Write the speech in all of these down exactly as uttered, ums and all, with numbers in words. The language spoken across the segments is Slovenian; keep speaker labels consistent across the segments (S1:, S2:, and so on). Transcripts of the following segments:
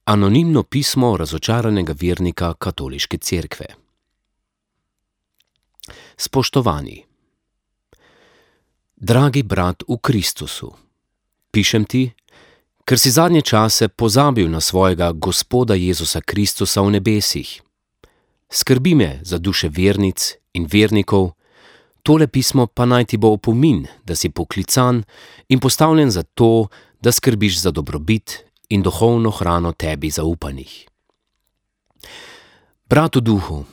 S1: Anonimno pismo razočaranega vernika katoliške cerkve. Spoštovani. Dragi brat v Kristusu, pišem ti, ker si zadnje čase pozabil na svojega Gospoda Jezusa Kristusa v nebesih. Skrbi me za duše vernic in vernikov, tole pismo pa naj ti bo opomin, da si poklican in postavljen za to, da skrbiš za dobrobit in duhovno hrano tebi zaupanih. Brat v duhu,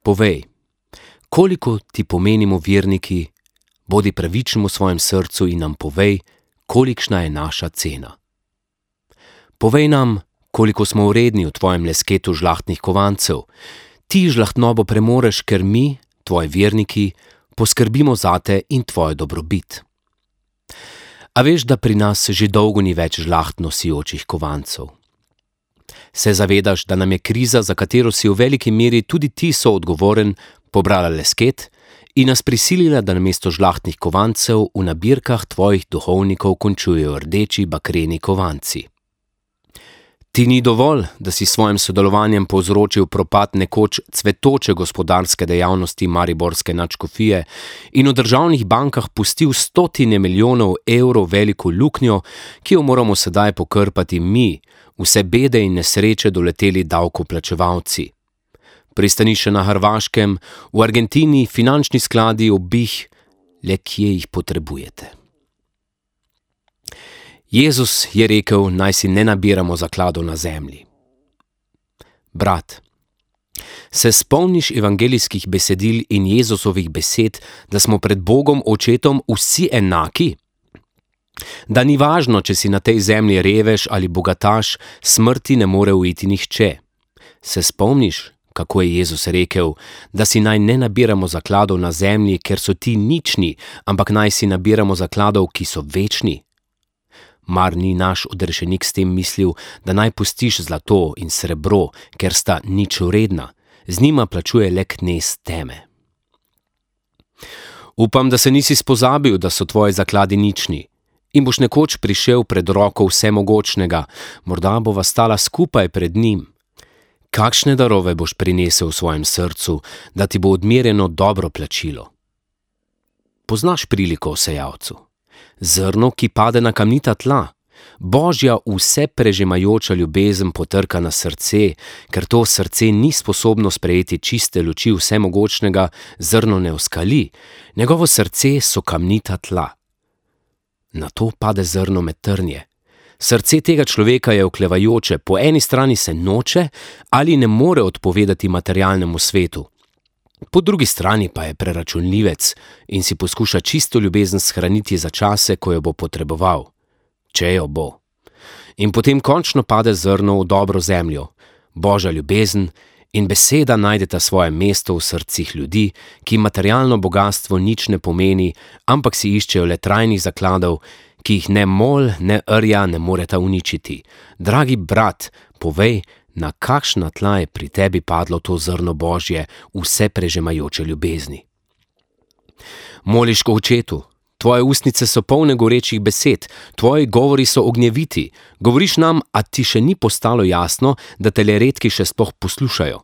S1: povej, koliko ti pomenimo verniki, bodi pravičen v svojem srcu in nam povej, kolikšna je naša cena. Povej nam, koliko smo vredni v tvojem lesketu žlahtnih kovancev. Ti žlahtnobo premoreš, ker mi, tvoji verniki, poskrbimo zate in tvojo dobrobit. A veš, da pri nas že dolgo ni več žlahtno sijočih kovancev. Se zavedaš, da nam je kriza, za katero si v veliki meri tudi ti soodgovoren, pobrala lesket in nas prisilila, da namesto žlahtnih kovancev v nabirkah tvojih duhovnikov končujejo rdeči bakreni kovanci. Ti ni dovolj, da si svojim sodelovanjem povzročil propad nekoč cvetoče gospodarske dejavnosti mariborske nadškofije in v državnih bankah pustil stotine milijonov evrov veliko luknjo, ki jo moramo sedaj pokrpati mi, vse bede in nesreče doleteli davkoplačevalci. Pristanišče na Hrvaškem, v Argentini, finančni skladi, obih, le kje jih potrebujete. Jezus je rekel, naj si ne nabiramo zakladov na zemlji. Brat, se spomniš evangelijskih besedil in Jezusovih besed, da smo pred Bogom očetom vsi enaki? Da ni važno, če si na tej zemlji revež ali bogataš, smrti ne more uiti nihče. Se spomniš, kako je Jezus rekel, da si naj ne nabiramo zakladov na zemlji, ker so ti nični, ampak naj si nabiramo zakladov, ki so večni? Mar ni naš odrešenik s tem mislil, da naj pustiš zlato in srebro, ker sta nič vredna, z njima plačuje le knez teme. Upam, da se nisi spozabil, da so tvoji zakladi nični in boš nekoč prišel pred roko vsemogočnega, morda bova stala skupaj pred njim. Kakšne darove boš prinesel v svojem srcu, da ti bo odmerjeno dobro plačilo? Poznaš priliko o sejalcu? Zrno, ki pade na kamnita tla, Božja vse prežemajoča ljubezen potrka na srce, ker to srce ni sposobno sprejeti čiste luči vsemogočnega, zrno ne oskali, njegovo srce so kamnita tla. Na to pade zrno med trnje. Srce tega človeka je oklevajoče, po eni strani se noče ali ne more odpovedati materialnemu svetu. Po drugi strani pa je preračunljivec in si poskuša čisto ljubezen shraniti za čase, ko jo bo potreboval. Če jo bo. In potem končno pade zrno v dobro zemljo. Božja ljubezen in beseda najdeta svoje mesto v srcih ljudi, ki materialno bogastvo nič ne pomeni, ampak si iščejo le trajnih zakladov, ki jih ne mol, ne rja ne moreta uničiti. Dragi brat, povej, na kakšna tla je pri tebi padlo to zrno Božje, vse prežemajoče ljubezni. Moliš ko očetu, tvoje ustnice so polne gorečih besed, tvoji govori so ognjeviti, govoriš nam, a ti še ni postalo jasno, da te le redki še sploh poslušajo.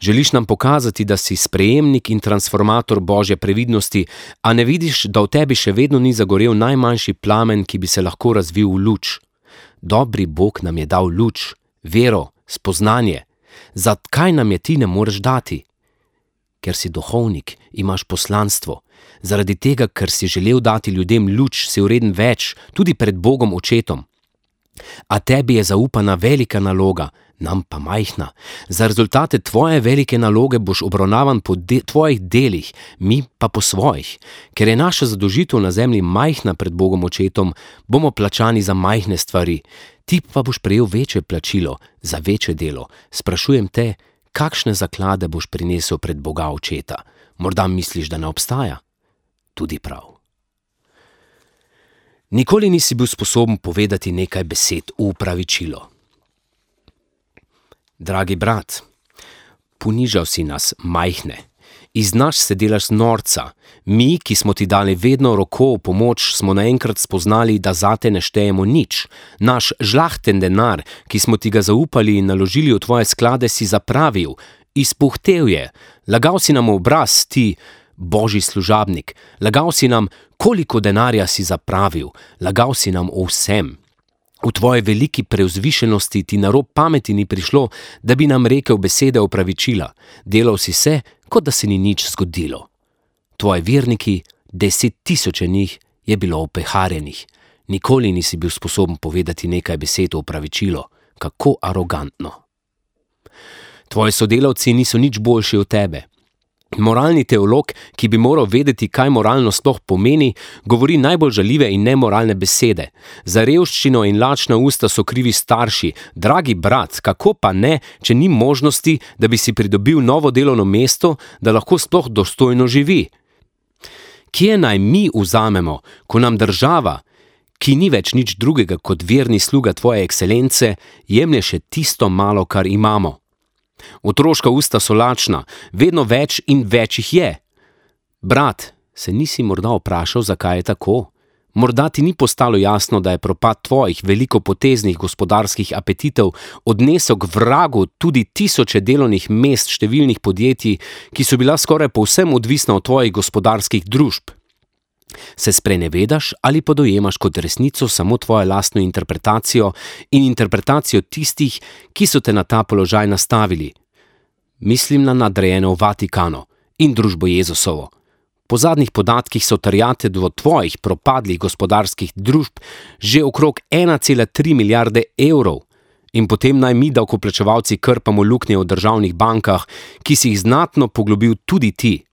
S1: Želiš nam pokazati, da si sprejemnik in transformator Božje previdnosti, a ne vidiš, da v tebi še vedno ni zagorel najmanjši plamen, ki bi se lahko razvil v luč. Dobri Bog nam je dal luč, vero, spoznanje. Zakaj nam je ti ne moreš dati? Ker si duhovnik, imaš poslanstvo. Zaradi tega, ker si želel dati ljudem luč, si vreden več, tudi pred Bogom očetom. A tebi je zaupana velika naloga, nam pa majhna. Za rezultate tvoje velike naloge boš obravnavan po de- tvojih delih, mi pa po svojih. Ker je naša zadolžitev na zemlji majhna pred Bogom očetom, bomo plačani za majhne stvari. Ti pa boš prejel večje plačilo za večje delo. Sprašujem te, kakšne zaklade boš prinesel pred Boga očeta? Morda misliš, da ne obstaja? Tudi prav. Nikoli nisi bil sposoben povedati nekaj besed v opravičilo. Dragi brat, ponižal si nas majhne Iz nas se delaš norca. Mi, ki smo ti dali vedno roko v pomoč, smo naenkrat spoznali, da zate ne štejemo nič. Naš žlahten denar, ki smo ti ga zaupali in naložili v tvoje sklade, si zapravil. Izpuhtel je. Lagal si nam v obraz, ti, božji služabnik. Lagal si nam, koliko denarja si zapravil. Lagal si nam o vsem. V tvoji veliki preuzvišenosti ti na rob pameti ni prišlo, da bi nam rekel besede opravičila. Delal si se, kot da se ni nič zgodilo. Tvoji verniki, deset tisoče njih, je bilo opeharjenih. Nikoli nisi bil sposoben povedati nekaj besed o opravičilo. Kako arogantno. Tvoji sodelavci niso nič boljši od tebe. Moralni teolog, ki bi moral vedeti, kaj moralno sploh pomeni, govori najbolj žaljive in nemoralne besede. Za revščino in lačna usta so krivi starši. Dragi brat, kako pa ne, če ni možnosti, da bi si pridobil novo delovno mesto, da lahko sploh dostojno živi? Kje naj mi vzamemo, ko nam država, ki ni več nič drugega kot verni sluga tvoje ekscelence, jemlje še tisto malo, kar imamo? Otroška usta so lačna, vedno več in več jih je. Brat, se nisi morda vprašal, zakaj je tako? Morda ti ni postalo jasno, da je propad tvojih velikopoteznih gospodarskih apetitov odnesel k vragu tudi tisoče delovnih mest številnih podjetij, ki so bila skoraj povsem odvisna od tvojih gospodarskih družb. Se sprenevedaš ali pa dojemaš kot resnico samo tvojo lastno interpretacijo in interpretacijo tistih, ki so te na ta položaj nastavili? Mislim na nadrejene v Vatikanu in družbo Jezusovo. Po zadnjih podatkih so terjatve do tvojih propadlih gospodarskih družb že okrog ena cela tri milijarde evrov. In potem naj mi davkoplačevalci krpamo luknje v državnih bankah, ki si jih znatno poglobil tudi ti.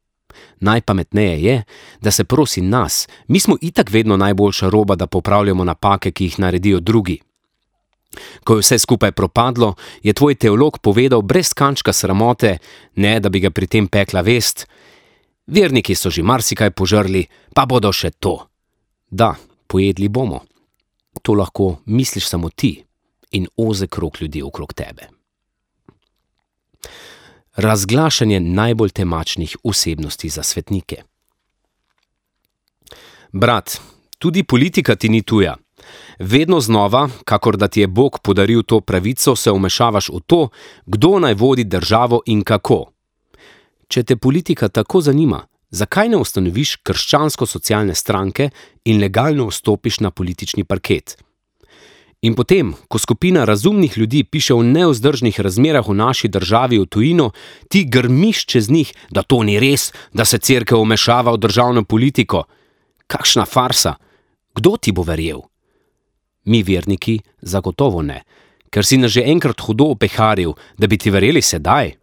S1: Najpametneje je, da se prosi nas, mi smo itak vedno najboljša roba, da popravljamo napake, ki jih naredijo drugi. Ko je vse skupaj propadlo, je tvoj teolog povedal brez kančka sramote, ne da bi ga pri tem pekla vest: verniki so že marsikaj požrli, pa bodo še to. Da, pojedli bomo. To lahko misliš samo ti in ozek krog ljudi okrog tebe. Razglašanje najbolj temačnih osebnosti za svetnike. Brat, tudi politika ti ni tuja. Vedno znova, kakor da ti je Bog podaril to pravico, se vmešavaš v to, kdo naj vodi državo in kako. Če te politika tako zanima, zakaj ne ustanoviš krščansko-socialne stranke in legalno vstopiš na politični parket? In potem, ko skupina razumnih ljudi piše o nevzdržnih razmerah v naši državi v tujino, ti grmiš čez njih, da to ni res, da se cerkev vmešava v državno politiko. Kakšna farsa! Kdo ti bo verjel? Mi verniki zagotovo ne, ker si nas že enkrat hudo opeharil, da bi ti verjeli sedaj.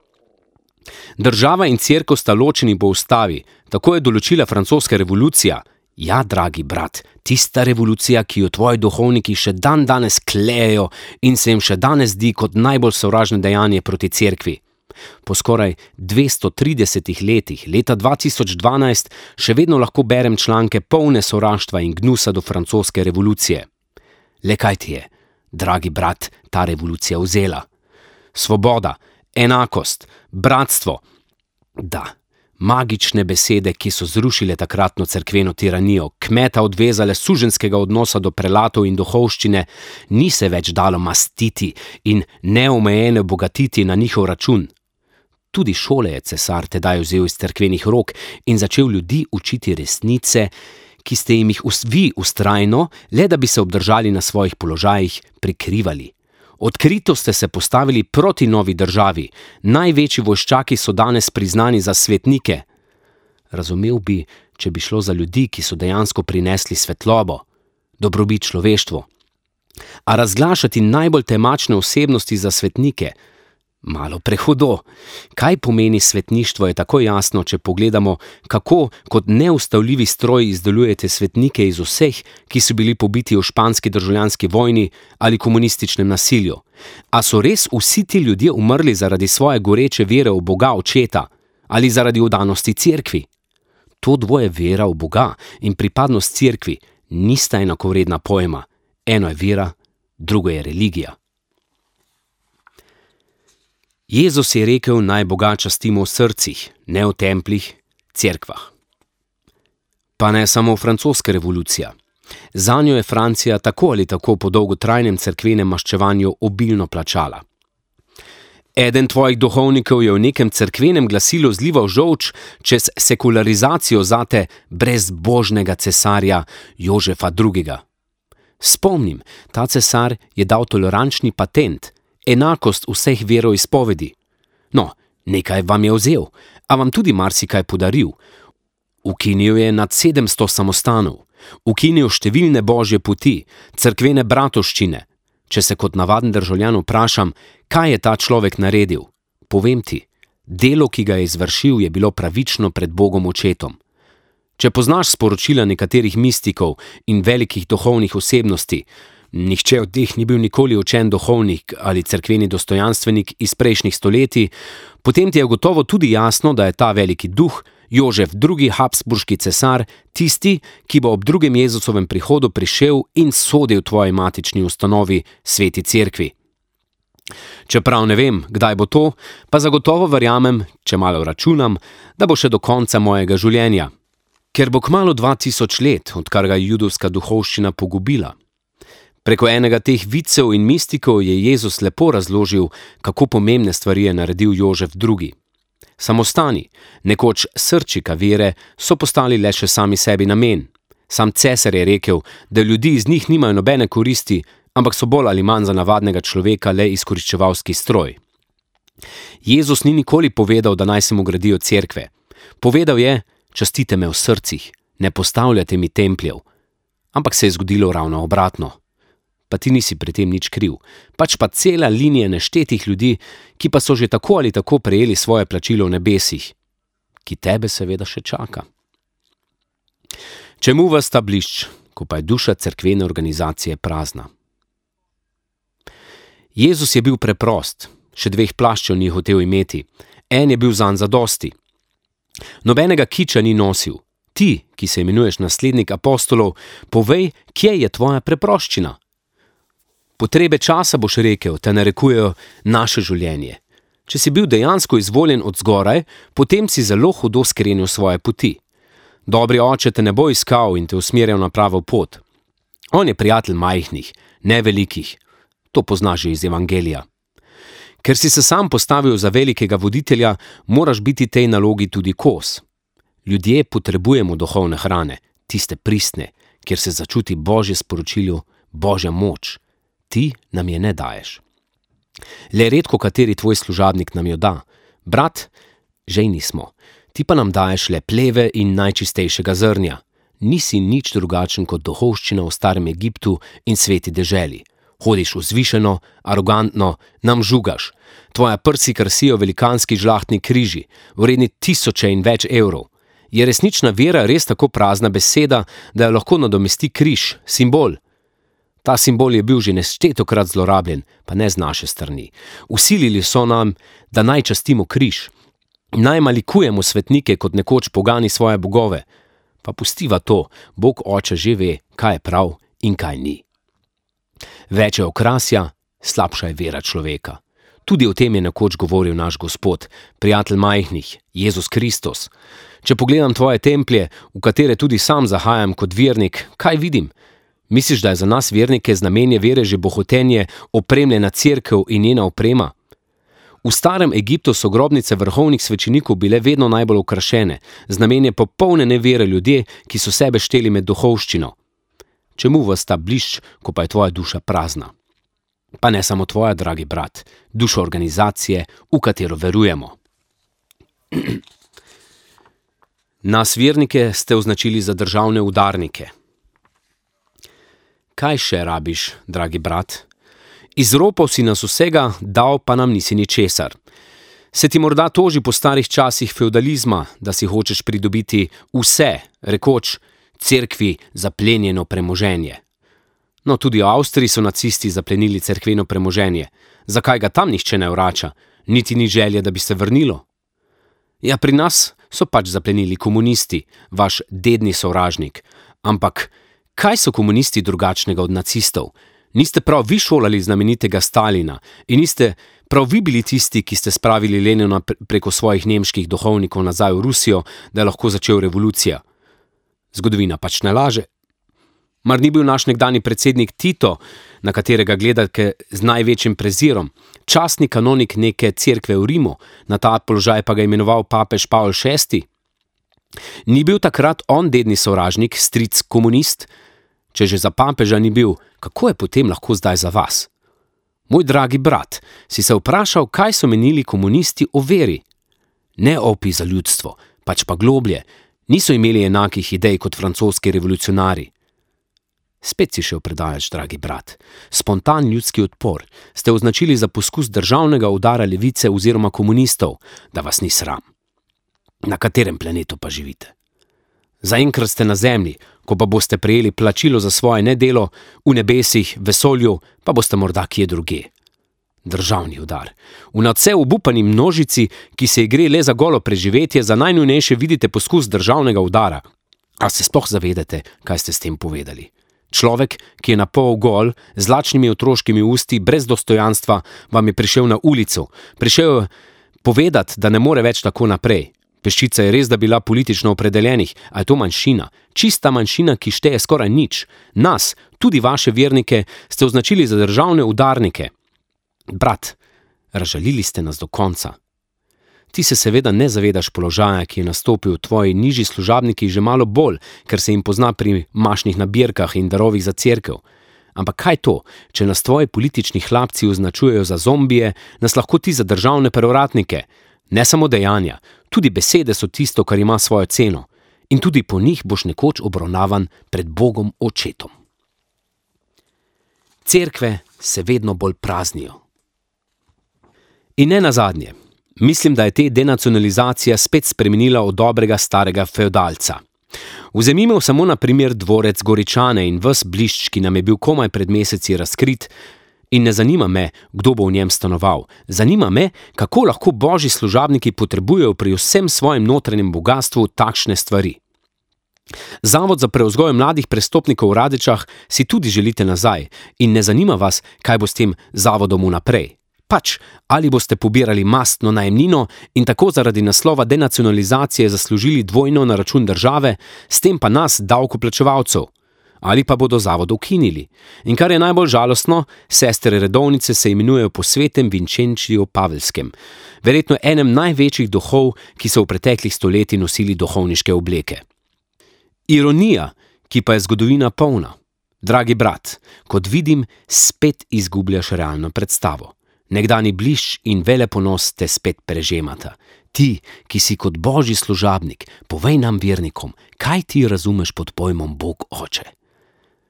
S1: Država in cerkev sta ločeni po ustavi, tako je določila francoska revolucija. Ja, dragi brat, tista revolucija, ki jo tvoji duhovniki še dan danes klejejo in se jim še danes zdi kot najbolj sovražno dejanje proti cerkvi. Po skoraj dvesto tridesetih letih, leta dva tisoč dvanajst, še vedno lahko berem članke polne sovraštva in gnusa do francoske revolucije. Le kaj ti je, dragi brat, ta revolucija vzela? Svoboda, enakost, bratstvo. Da, magične besede, ki so zrušile takratno cerkveno tiranijo, kmeta odvezale suženskega odnosa do prelatov in duhovščine, ni se več dalo mastiti in neomejeno bogatiti na njihov račun. Tudi šole je cesar tedaj vzel iz cerkvenih rok in začel ljudi učiti resnice, ki ste jim jih vi vztrajno, le da bi se obdržali na svojih položajih, prikrivali. Odkrito ste se postavili proti novi državi. Največji vojščaki so danes priznani za svetnike. Razumel bi, če bi šlo za ljudi, ki so dejansko prinesli svetlobo, dobrobit človeštvu. A razglašati najbolj temačne osebnosti za svetnike? Malo prehudo. Kaj pomeni svetništvo, je tako jasno, če pogledamo, kako kot neustavljivi stroj izdelujete svetnike iz vseh, ki so bili pobiti v španski državljanski vojni ali komunističnem nasilju. A so res vsi ti ljudje umrli zaradi svoje goreče vere v Boga Očeta ali zaradi vdanosti cerkvi? To dvoje, vera v Boga in pripadnost cerkvi, nista enakovredna pojma. Eno je vera, drugo je religija. Jezus je rekel, naj Boga častimo v srcih, ne v templjih, cerkvah. Pa ne samo francoska revolucija. Zanjo je Francija tako ali tako po dolgotrajnem cerkvenem maščevanju obilno plačala. Eden tvojih duhovnikov je v nekem cerkvenem glasilu zlival žolč čez sekularizacijo zate brezbožnega cesarja Jožefa drugega. Spomnim, ta cesar je dal tolerančni patent, enakost vseh veroizpovedi. No, nekaj vam je vzel, a vam tudi marsikaj podaril. Ukinil je nad sedemsto samostanov, ukinil številne božje poti, cerkvene bratovščine. Če se kot navaden državljan vprašam, kaj je ta človek naredil, povem ti, delo, ki ga je izvršil, je bilo pravično pred Bogom očetom. Če poznaš sporočila nekaterih mistikov in velikih duhovnih osebnosti, nihče od teh ni bil nikoli učen duhovnik ali cerkveni dostojanstvenik iz prejšnjih stoletij, potem ti je gotovo tudi jasno, da je ta veliki duh, Jožef drugi. Habsburški cesar, tisti, ki bo ob drugem Jezusovem prihodu prišel in sodil tvoji matični ustanovi, sveti cerkvi. Čeprav ne vem, kdaj bo to, pa zagotovo verjamem, če malo računam, da bo še do konca mojega življenja. Ker bo kmalu dva tisoč let, odkar ga je judovska duhovščina pogubila. Preko enega teh vicev in mistikov je Jezus lepo razložil, kako pomembne stvari je naredil Jožef drugi. Samostani, nekoč srčika vere, so postali le še sami sebi namen. Sam cesar je rekel, da ljudi iz njih nimajo nobene koristi, ampak so bolj ali manj za navadnega človeka le izkoriščevalski stroj. Jezus ni nikoli povedal, da naj se mu gradijo cerkve. Povedal je, častite me v srcih, ne postavljate mi templjev. Ampak se je zgodilo ravno obratno. Pa ti nisi pri tem nič kriv, pač pa cela linija neštetih ljudi, ki pa so že tako ali tako prejeli svoje plačilo v nebesih, ki tebe seveda še čaka. Čemu vas ta blišč, ko pa je duša cerkvene organizacije prazna? Jezus je bil preprost, še dveh plaščev ni hotel imeti, en je bil zanj zadosti. Nobenega kiča ni nosil. Ti, ki se imenuješ naslednik apostolov, povej, kje je tvoja preproščina. Potrebe časa, boš rekel, te narekujejo naše življenje. Če si bil dejansko izvoljen od zgoraj, potem si zelo hudo skrenil svoje poti. Dobri oče te ne bo iskal in te usmerjal na pravo pot. On je prijatelj majhnih, ne velikih. To poznaš že iz Evangelija. Ker si se sam postavil za velikega voditelja, moraš biti tej nalogi tudi kos. Ljudje potrebujemo duhovne hrane, tiste pristne, kjer se začuti Božje sporočilo, Božja moč. Ti nam je ne daješ. Le redko kateri tvoj služabnik nam jo da. Brat, žejni smo. Ti pa nam daješ le pleve in najčistejšega zrnja. Nisi nič drugačen kot duhovščina v starem Egiptu in sveti deželi. Hodiš vzvišeno, arogantno, nam žugaš. Tvoja prsi krasijo velikanski žlahtni križi, vredni tisoče in več evrov. Je resnična vera res tako prazna beseda, da jo lahko nadomesti križ, simbol? Ta simbol je bil že neštetokrat zlorabljen, pa ne z naše strani. Vsilili so nam, da naj častimo križ. Naj malikujemo svetnike kot nekoč pogani svoje bogove. Pa pustiva to, Bog oče že ve, kaj je prav in kaj ni. Več je okrasja, slabša je vera človeka. Tudi o tem je nekoč govoril naš Gospod, prijatelj majhnih, Jezus Kristus. Če pogledam tvoje templje, v katere tudi sam zahajam kot vernik, kaj vidim? Misliš, da je za nas vernike znamenje vere že bohotenje, opremljena cerkev in njena oprema? V starem Egiptu so grobnice vrhovnih svečenikov bile vedno najbolj okrašene, znamenje popolne nevere ljudje, ki so sebe šteli med duhovščino. Čemu vas ta blišč, ko pa je tvoja duša prazna? Pa ne samo tvoja, dragi brat, duša organizacije, v katero verujemo. Nas vernike ste označili za državne udarnike. Kaj še rabiš, dragi brat? Izropal si nas vsega, dal pa nam nisi ničesar. Se ti morda toži po starih časih feudalizma, da si hočeš pridobiti vse, rekoč, cerkvi zaplenjeno premoženje. No, tudi v Avstriji so nacisti zaplenili cerkveno premoženje. Zakaj ga tam nihče ne vrača? Niti ni želje, da bi se vrnilo. Ja, pri nas so pač zaplenili komunisti, vaš dedni sovražnik. Ampak kaj so komunisti drugačnega od nacistov? Niste prav vi šolali znamenitega Stalina in niste Prav vi bili tisti, ki ste spravili Lenina preko svojih nemških duhovnikov nazaj v Rusijo, da je lahko začel revolucija. Zgodovina pač ne laže. Mar ni bil naš nekdani predsednik Tito, na katerega gledate z največjim prezirom, častni kanonik neke cerkve v Rimu, na ta položaj pa ga imenoval papež Pavol šesti? Ni bil takrat on dedni sovražnik, stric komunist? Če že za papeža ni bil, kako je potem lahko zdaj za vas? Moj dragi brat, si se vprašal, kaj so menili komunisti o veri? Ne opi za ljudstvo, pač pa globlje, niso imeli enakih idej kot francoski revolucionari. Spet si šel predaleč, dragi brat. Spontan ljudski odpor ste označili za poskus državnega udara levice oziroma komunistov, da vas ni sram. Na katerem planetu pa živite? Zaenkrat ste na zemlji, ko pa boste prejeli plačilo za svoje nedelo, v nebesih, vesolju, pa boste morda kje drugje. Državni udar. V nadvse obupani množici, ki se gre le za golo preživetje, za najnujnejše vidite poskus državnega udara. A se sploh zavedate, kaj ste s tem povedali? Človek, ki je na pol gol, z lačnimi otroškimi usti, brez dostojanstva, vam je prišel na ulico. Prišel povedati, da ne more več tako naprej. Peščica je res da bila politično opredeljenih, a je to manjšina. Čista manjšina, ki šteje skoraj nič. Nas, tudi vaše vernike, ste označili za državne udarnike. Brat, razžalili ste nas do konca. Ti se seveda ne zavedaš položaja, ki je nastopil v tvoji nižji služabniki že malo bolj, ker se jim pozna pri mašnih nabirkah in darovih za cerkev. Ampak kaj to, če nas tvoji politični hlapci označujejo za zombije, nas lahko ti za državne prevratnike. Ne samo dejanja, tudi besede so tisto, kar ima svojo ceno. In tudi po njih boš nekoč obravnavan pred Bogom očetom. Cerkve se vedno bolj praznijo. In ne nazadnje. Mislim, da je te denacionalizacija spet spremenila od dobrega starega feodalca. Vzemimo samo na primer dvorec Goričane in ves blišč, ki nam je bil komaj pred meseci razkrit, in ne zanima me, kdo bo v njem stanoval. Zanima me, kako lahko božji služabniki potrebujejo pri vsem svojem notranjem bogastvu takšne stvari. Zavod za prevzgoj mladih prestopnikov v Radečah si tudi želite nazaj in ne zanima vas, kaj bo s tem zavodom vnaprej. Pač, ali boste pobirali mastno najemnino in tako zaradi naslova denacionalizacije zaslužili dvojno na račun države, s tem pa nas, davkoplačevalcev. Ali pa bodo zavod ukinili. In kar je najbolj žalostno, sestre redovnice se imenujejo po svetem Vinčenčiju Pavelskem, verjetno enem največjih duhov, ki so v preteklih stoletjih nosili duhovniške obleke. Ironija, ki pa je zgodovina polna. Dragi brat, kot vidim, spet izgubljaš realno predstavo. Nekdani blišč in veleponos te spet prežemata. Ti, ki si kot božji služabnik, povej nam vernikom, kaj ti razumeš pod pojmom Bog Oče.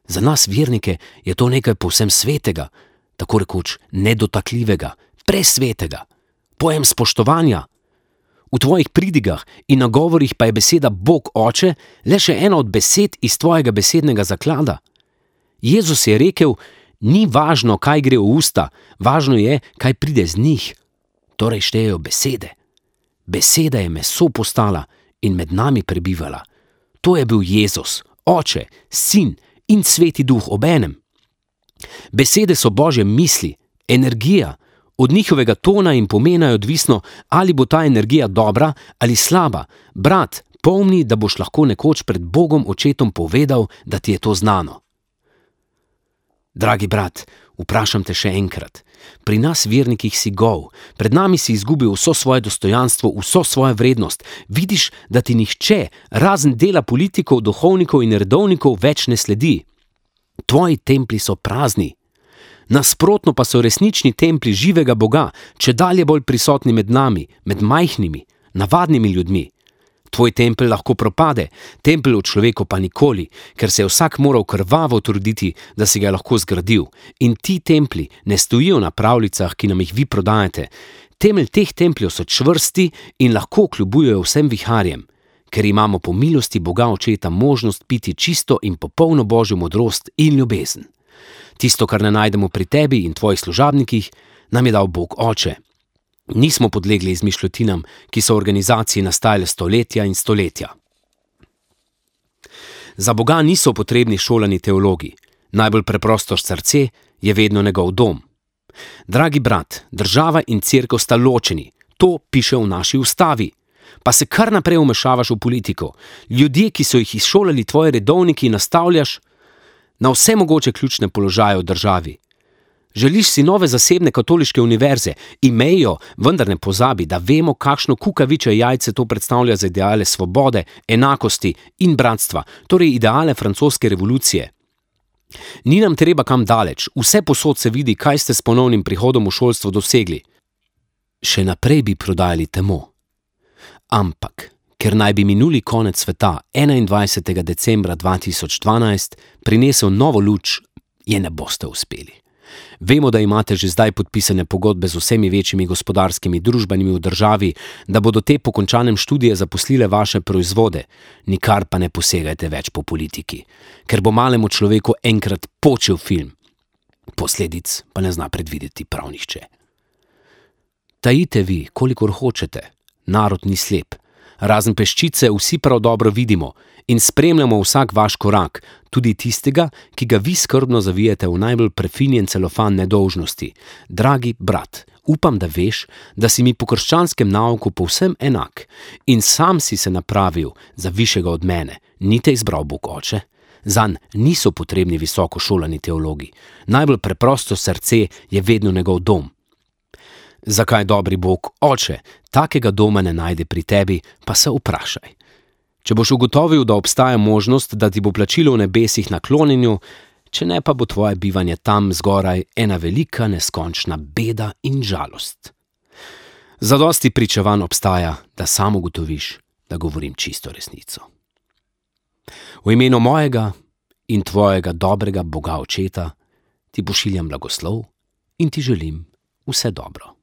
S1: Za nas vernike je to nekaj povsem svetega, tako rekoč nedotakljivega, presvetega, pojem spoštovanja. V tvojih pridigah in nagovorih pa je beseda Bog Oče le še ena od besed iz tvojega besednega zaklada. Jezus je rekel, ni važno, kaj gre v usta, važno je, kaj pride z njih. Torej štejejo besede. Beseda je meso postala in med nami prebivala. To je bil Jezus, Oče, Sin in Sveti Duh obenem. Besede so Božje misli, energija. Od njihovega tona in pomena je odvisno, ali bo ta energija dobra ali slaba. Brat, pomni, da boš lahko nekoč pred Bogom očetom povedal, da ti je to znano. Dragi brat, vprašam te še enkrat. Pri nas vernikih si gol, pred nami si izgubil vso svoje dostojanstvo, vso svojo vrednost. Vidiš, da ti nihče, razen dela politikov, duhovnikov in redovnikov, več ne sledi. Tvoji templji so prazni. Nasprotno pa so resnični templji živega Boga, če dalje bolj prisotni med nami, med majhnimi, navadnimi ljudmi. Tvoj tempelj lahko propade, tempelj v človeku pa nikoli, ker se je vsak moral krvavo truditi, da si ga je lahko zgradil. In ti templji ne stojijo na pravljicah, ki nam jih vi prodajate. Temelj teh templjev so čvrsti in lahko kljubujejo vsem viharjem, ker imamo po milosti Boga Očeta možnost piti čisto in popolno Božjo modrost in ljubezen. Tisto, kar ne najdemo pri tebi in tvojih služabnikih, nam je dal Bog Oče. Nismo podlegli izmišljotinam, ki so v organizaciji nastajale stoletja in stoletja. Za Boga niso potrebni šolani teologi. Najbolj preprosto srce je vedno njegov dom. Dragi brat, država in cerkev sta ločeni. To piše v naši ustavi. Pa se kar naprej vmešavaš v politiko. Ljudje, ki so jih izšolali tvoji redovniki, nastavljaš na vse mogoče ključne položaje v državi. Želiš si nove zasebne katoliške univerze, imejo, vendar ne pozabi, da vemo, kakšno kukavičje jajce to predstavlja za ideale svobode, enakosti in bratstva, torej ideale francoske revolucije. Ni nam treba kam daleč, vse posod se vidi, kaj ste s ponovnim prihodom v šolstvo dosegli. Še naprej bi prodajali temo. Ampak, ker naj bi minuli konec sveta enaindvajsetega decembra dva tisoč dvanajst prinesel novo luč, je ne boste uspeli. Vemo, da imate že zdaj podpisane pogodbe z vsemi večjimi gospodarskimi družbami v državi, da bodo te po končanem študiju zaposlile vaše proizvode, nikar pa ne posegajte več po politiki, ker bo malemu človeku enkrat počel film. Posledic pa ne zna predvideti prav nihče. Tajite vi, kolikor hočete, narod ni slep. Razen peščice vsi prav dobro vidimo in spremljamo vsak vaš korak, tudi tistega, ki ga vi skrbno zavijete v najbolj prefinjen celofan nedolžnosti. Dragi brat, upam, da veš, da si mi po krščanskem nauku povsem enak in sam si se napravil za višjega od mene, ni te izbral Bog oče. Zanj niso potrebni visoko šolani teologi. Najbolj preprosto srce je vedno njegov dom. Zakaj dobri Bog oče takega doma ne najde pri tebi, pa se vprašaj. Če boš ugotovil, da obstaja možnost, da ti bo plačilo v nebesih naklonjenju, če ne pa bo tvoje bivanje tam zgoraj ena velika neskončna beda in žalost. Zadosti pričevanj obstaja, da sam ugotoviš, da govorim čisto resnico. V imenu mojega in tvojega dobrega Boga očeta ti pošiljam blagoslov in ti želim vse dobro.